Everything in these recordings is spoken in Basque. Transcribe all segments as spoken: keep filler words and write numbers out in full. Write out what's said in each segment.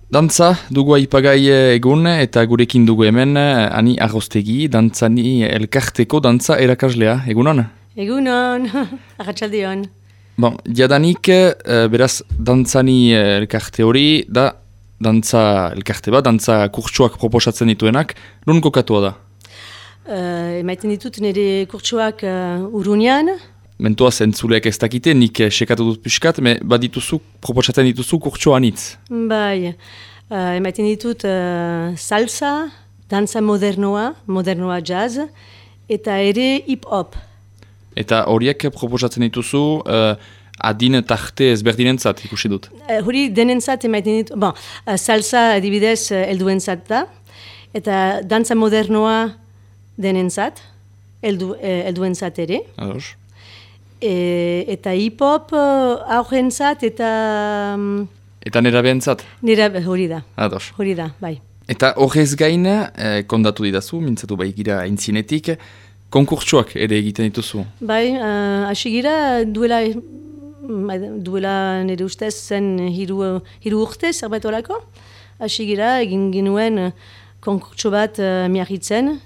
Dantza dugu aipagai egun eta gurekin dugu hemen Ani Arrostegi, dantzani elkarteko dantza erakaslea. Egunon? Egunon, arratsaldeon. Bon, jadanik, beraz, dantzani elkarte hori da dantza elkarte bat, dantza kurtsuak proposatzen dituenak, non kokatua da? Uh, emaiten ditut nire kurtsuak uh, Urruñan. Mentoaz entzuleak ez dakite, nik sekatu dut piskat, me badituzu, proposatzen dituzu kurtsua anitz. Bai, uh, emaiten ditut uh, salsa, dantza modernoa, modernoa jazz, eta ere hip-hop. Eta horiek proposatzen dituzu uh, adin tarte ezberdinentzat ikusi dut. Uh, hori denentzat emaiten ditut, bon, uh, salsa adibidez uh, helduentzat da, eta dantza modernoa denentzat, heldu, uh, helduentzat ere. Ados. E, eta hip-hop uh, aurrentzat eta... Um, eta nera behentzat? Nera hori da. Ados. Hori da, bai. Eta horrez gain, eh, kondatu didazu, mintzatu bai gira aintzinetik, konkurtsuak ere egiten dituzu? Bai, uh, hasi gira duela, duela nire ustez zen hiru, hiru urte zerbait horako. Hasi gira egin ginuen konkurtsu bat uh, miarritzen,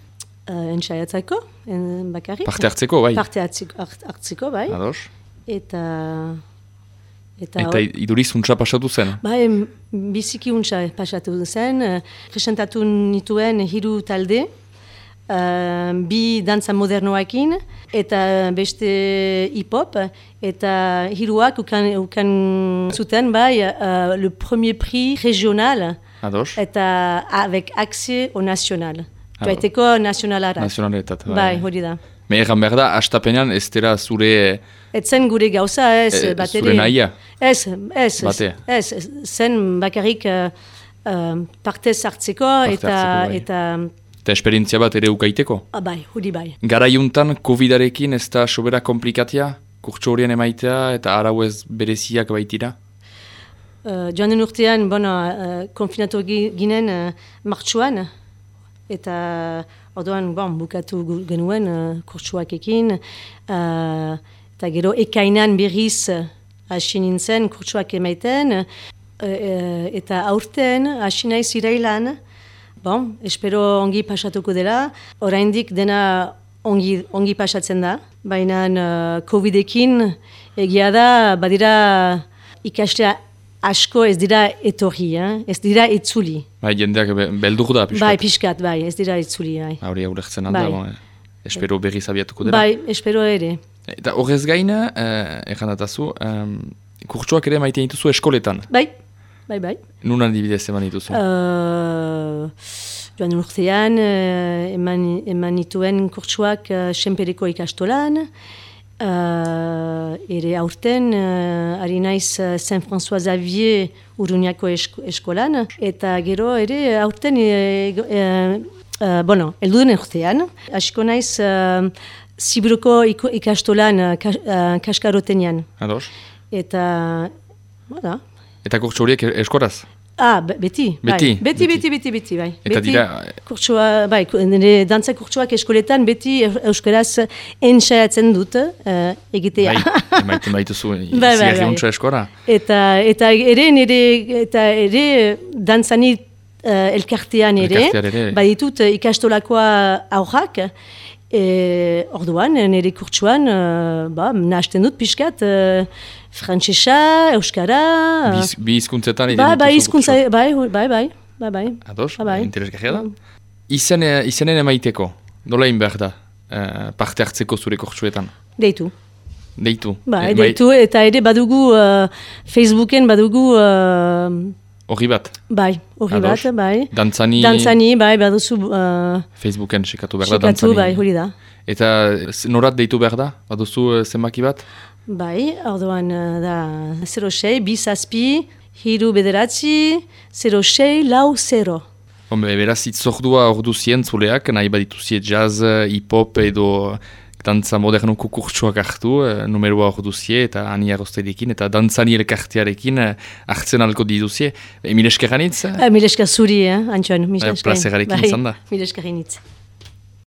uh, entsaiatzeko. En, bakarrik. Parte hartzeko, bai? Parte hartzeko, hartzeko bai. Ados. Eta... Eta, eta iduriz untsa pasatu zen? Bai, biziki untsa pasatu zen. Presentatu nituen hiru talde, uh, bi dantza modernoakin, eta beste hip-hop, eta hiruak ukan, ukan zuten, bai, uh, le premier prix régional, Ados. Eta avec accès au national. Baiteko nazionalara. Nazionaletat. Bai, hori da. Me egan behar da, astapenean ez dela zure... Etzen gure gauza, ez, e, bateri. Zure nahia? Ez, ez, Bate. ez, zen bakarrik uh, uh, partez hartzeko Parte eta... hartzeko, bai. eta Eta esperientzia bat ere ukaiteko? ah, bai, hori bai. Garaiuntan, kovidarekin ez da sobera komplikatia? Kurtso horien emaitea eta arau ez bereziak baitira? Uh, joan den urtean, bueno, uh, konfinatu ginen uh, martxuan, eta orduan bon, bukatu genuen uh, kurtsuakekin, uh, eta gero ekainan berriz uh, hasi nintzen kurtsuak emaiten, uh, uh, eta aurten hasi naiz irailan, bon, espero ongi pasatuko dela, oraindik dena ongi, ongi pasatzen da, baina uh, covidekin egia da, badira ikastea asko ez dira etorri, eh? Ez dira itzuli. Bai, jendeak be, beldur da, piskat. Bai, piskat, bai, ez dira itzuli. Bai. Hauria ulertzen alda, Bai. bon, eh, espero berriz abiatuko dela. Bai, espero ere. Eta horrez gaina, eh, errandatazu, eh, kurtsuak ere maite dituzu eskoletan. Bai, bai, bai. Nun adibidez eman dituzu? Uh, joan urtean, uh, eman, eman nituen kurtsuak uh, Senpereko ikastolan, Uh, ere aurten, uh, ari naiz uh, Saint-François Xavier Urruñako esko, eskolan, eta gero ere aurten, uh, uh, uh, bueno, elduden urtean, hasiko naiz uh, Ziburuko ikastolan uh, kas, uh, Kaskarotenean. Ados. Eta, voilà. Eta kurtso horiek eskoraz? Ah, beti, beti, bai. Beti, beti, beti, beti, bai. Eta beti, dira... Kurtsua, bai, nire dantza kurtsuak eskoletan beti euskaraz entsaiatzen dut uh, egitea. Bai, emaiten baituzu, bai, bai, ziarri untsa eskora. Eta, eta ere nire, eta ere dantzani uh, elkartean ere, ere. baditut ikastolakoa aurrak, e, orduan nire kurtsuan, uh, ba, nahasten dut pixkat, uh, frantsesa, euskara... Biz, bi hizkuntzetan ba, ba, hizkuntza, bai, bai, bai, bai, bai. Ados, ba, bai. interesgarria da. Izen, izenen emaiteko, nola behar da, eh, parte hartzeko zure kurtsuetan? Deitu. Deitu. Ba, E, deitu, eta ere badugu uh, Facebooken badugu... Uh, Horri bat? bai, horri bat, bai. Dantzani... Dantzani, bai, baduzu... Uh, Facebooken sekatu behar da, dantzani. dantzani. Bai, hori da. Eta norat deitu behar da? Baduzu uh, zenbaki bat? Bai, orduan uh, da zero sei, bi zazpi, hiru bederatzi, zero sei, lau zero. Hombre, beraz, itzordua ordu zientzuleak, nahi badituzie jazz, hip-hop edo dantza modernuko kurtsuak hartu, numeroa orduzie eta Ani Arrostedikin eta dantzani elkartearekin hartzen alko diduzie. Mil esker hanitz? Mil esker zuri, eh, Antxon. Plazerarekin izan da. Mil esker hanitz.